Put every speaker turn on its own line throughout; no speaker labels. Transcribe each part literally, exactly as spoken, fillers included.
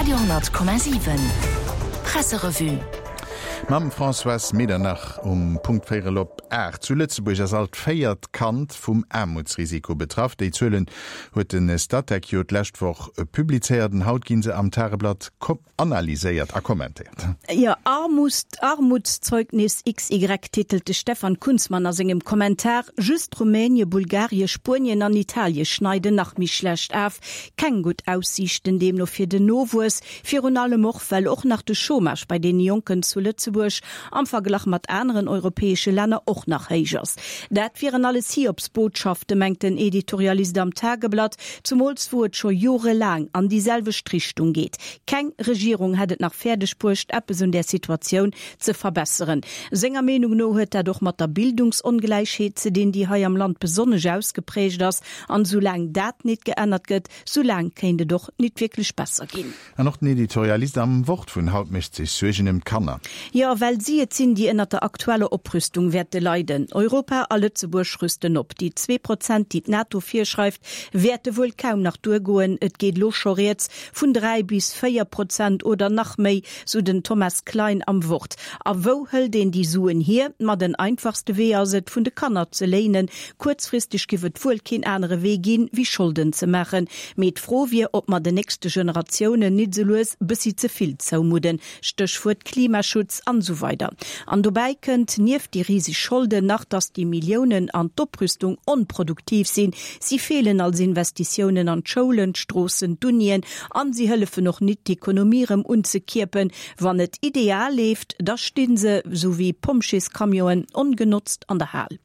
Radio honnert Komma siwen Presserevue.
Mam Françoise Medernach um Punkt véierel op aacht. Zu Lëtzebuerg ass all d'véiert Kand vum Aarmutsrisiko betraff. Déi Zuelen huet de Statec jo d'lescht Woch publizéiert an haut ginn se am Tageblatt analyséiert a kommentéiert.
Jo, Armutszeugnis X Y titelt de Stefan Kunzmann a sengem Kommentar. Just Rumänie, Bulgarie, Spuenien an Italie schneiden nach méi schlecht af. Keng gutt Aussiichten deemno fir den Nowuess, virun allem och, well och nach de Chômage bei deene Jonken zu Lëtzebuerg am Verglach mat aneren europäesche Länner och nach héich ass. Dat wieren alles Hiobsbotschaften, mengt den Editorialist am Tageblatt, zumools wou et scho jorelaang an déi selwecht Richtung geet. Keng Regierung hätt et nach fäerdeg bruecht, eppes un där Situatioun ze verbesseren. Senger Meenung no huet dat och mat der Bildungsongläichheet ze dinn, déi hei am Land besonnesch ausgeprägt ass. An soulaang dat nit geännert gëtt, soulaang kéint et och nit wierklech besser ginn.
An och den Editorialist am Wort vun haut mécht sech Suergen ëm d'Kanner.
Jo, well si et sinn, déi ënnert der aktueller Oprüstung wäerte leiden. Europa a Lëtzebuerg rüsten op. Déi zwee Prozent, déi d'NATO virschreift, wäerte wuel kaum nach duergoen. Et geet elo scho rieds vun dräi bis véier Prozent oder nach méi, sou den Thomas Klein am Wort. A wou hëlt een déi Suen hier? Ma den einfachste Wee ass et, vun de Kanner ze léinen. Kuerzfristeg giff et wuel keen anere Wee ginn, wéi Scholden ze maachen. Mee d'Fro wier, ob mer den nächste Generatiounen nit sou lues bëssi ze vill zoumudden, Stéchwuert Klimaschutz an esou weider. An dobäi kënnt nieft déi riseg Scholden nach, dass déi Milliounen an d'Oprüstung onproduktiv sinn. Si feelen als Investitiounen an d'Schoulen, d'Stroossen, d'Unien an si hëllefen och nit d'Ekonomie rëm unzekierpen. Wann et ideal leeft, da sti se sou wéi Pompjeescamionen ongenotzt an der Hal.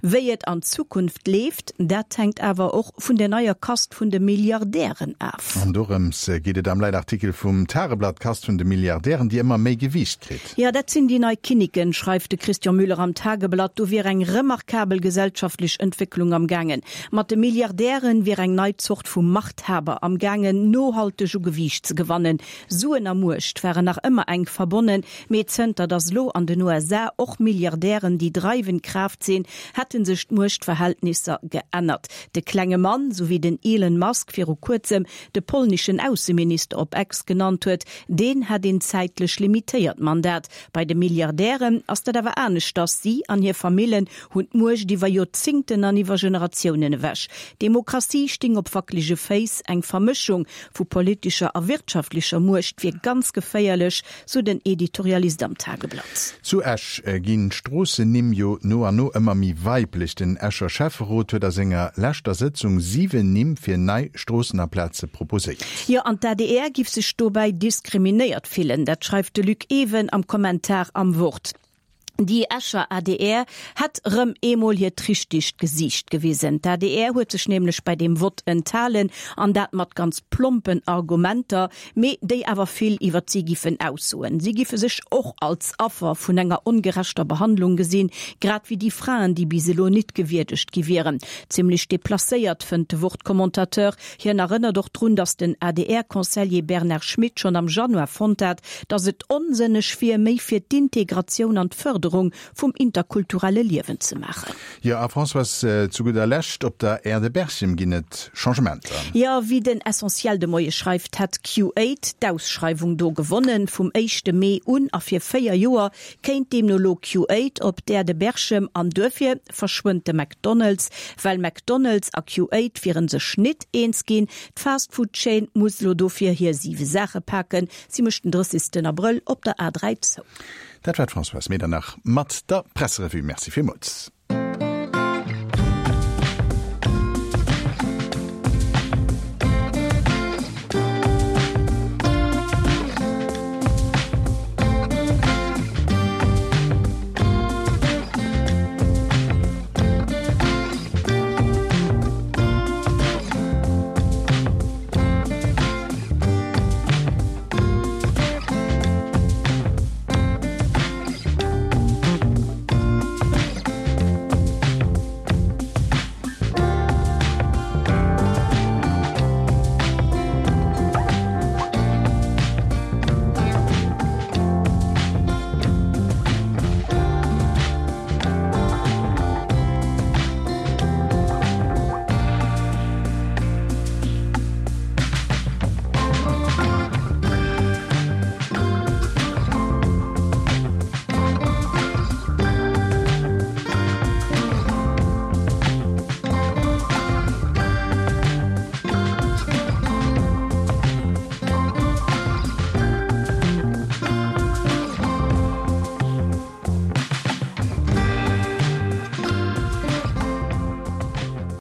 Wéi et an Zukunft leeft, dat hänkt awer och vun der neier Kast vun de Milliardären af.
An dorëms geet et am Leitartikel vum Tageblatt, d'Kast vun de Milliardären, déi ëmmer méi Gewiicht kritt.
Jo, dat sinn déi nei Kinniken, schreift de Christian Müller am Tageblatt. Do wier eng remarkabel gesellschaftlech Entwécklung am gaangen. Mat de Milliardären wier eng nei Zort vu Machthaber am gaangen, nohalteg u Gewiicht ze gewannen. Suen a Muecht waren nach ëmmer enk verbonnen, mee zënter datt elo an den U S A och Milliardären déi dreiwend Kraaft sinn, hätte sech d'Muechtverhältnisser geännert. De klenge Mann, sou wéi den Elon Musk viru kuerzem de polneschen Ausseminister op X genannt huet, deen hätt een zäitlech limitéiert Mandat. Bei de Milliardären ass dat awer aneschters, si an hir Famillen hunn d'Muecht iwwer Joerzingten an iwwer Generatiounen ewech. D'Demokratie sting op wackelege Féiss, eng Vermëschung vu politescher a wirtschaftlecher Muecht wier ganz geféierlech, sou den Editorialist am Tageblatt.
Zu Esch ginn d'Stroossennimm jo no an no ëmmer méi weiblech. Den Escher Schäfferot huet a senger leschter Sëtzung siwen Nimm fir nei Stroossen a Plaze proposéiert.
Jo, an d'A D R giff sech dobäi diskriminéiert fillen. Dat schreift de Luc Ewen am Kommentar am Wort. Déi Escher A D R hätt rëm eemol hiert richtegt Gesiicht gewisen. D'A D R huet sech nämlech bei deem Vott enthalen, an dat mat ganz plompen Argumenter, mee déi awer vill iwwert si giffen aussoen. Si giffe sech och als Affer vun enger ongerechter Behandlung gesinn, grad wéi déi Fraen, déi bis elo nit gewierdegt gi wieren. Zimmlech deplacéiert, fënnt de Wort-Commentateur. Hien erënnert och drun, datt den A D R-Conseiller Bernard Schmit schonn am Januar fonnt hat, datt et onsënneg wier, méi fir d'Integratioun an d'Fërderung vum interkulturelle Liewen ze maachen.
Jo, a Françoise, zu gudder Lescht, op der Aire de Berchem ginn et Changementer.
Jo, wéi den Essentiel de Moie schreift, hätt Q Eight d'Ausschreiwung do gewonnen. Vum éischte Mee un a fir véier Joer kéint deemno elo Q Eight op d'Aire de Berchem an duerfir verschwënnt de McDonald's. Well McDonald's a Q Eight wiere sech nit eens ginn. D'Fastfood-Chaîne muss elo dofir hir siwe Saache paken. Si mécht den drëssigsten Abrëll op der A dräi zou.
Dat war d'Françoise Medernach mat der Presserevue. Merci villmools.